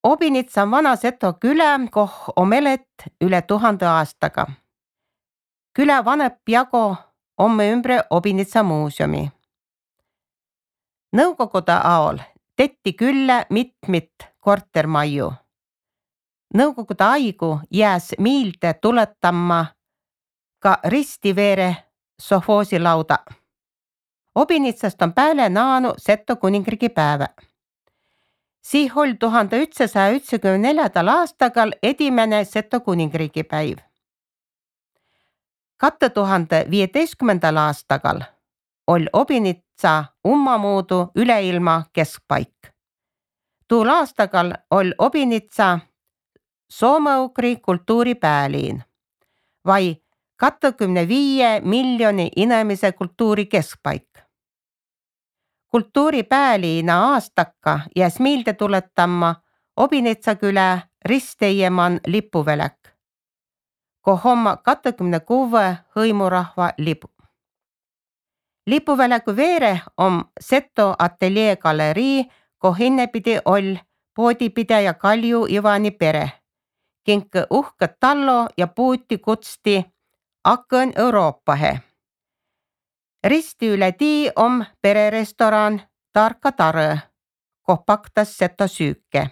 Obinits on vana Seto külä, koh om elet üle 1000 aastaga. Külä vanep jago omme ümbre Obinitsa muuseumi. Nõukogude aol tetti küllä mitmit kortermaju. Nõukogude aigu jääs miilde tuletama ka ristiveere sovhoosilauda. Obinitsast on pääle naanu Seto kuningriigi päevä. Sih oll 1994. aastagal edimene Seto kuningriigi päiv. 2015. aastagal oll Obinitsa ummamuudu üleilma keskpaik. Tuul aastagal oll Obinitsa soome-ugri kultuuripääliin vai 25 miljoni inemise kultuuri keskpaik. Kultuuripääliina aastakka jääs miilde tuletama Obinitsa külä Risteiemann lipuvälek, koh omma 26 hõimurahva lipu. Lipuväläku veere om Seto ateljee galerii, koh hinnepidi oll poodipidaja Kalju Ivani pere, kink uhkõt tallo ja puuti kutsti Akõn Euroopahe. Risti üle tii om pererestoran Tarka Tarõ, koh paktas Seto süüke.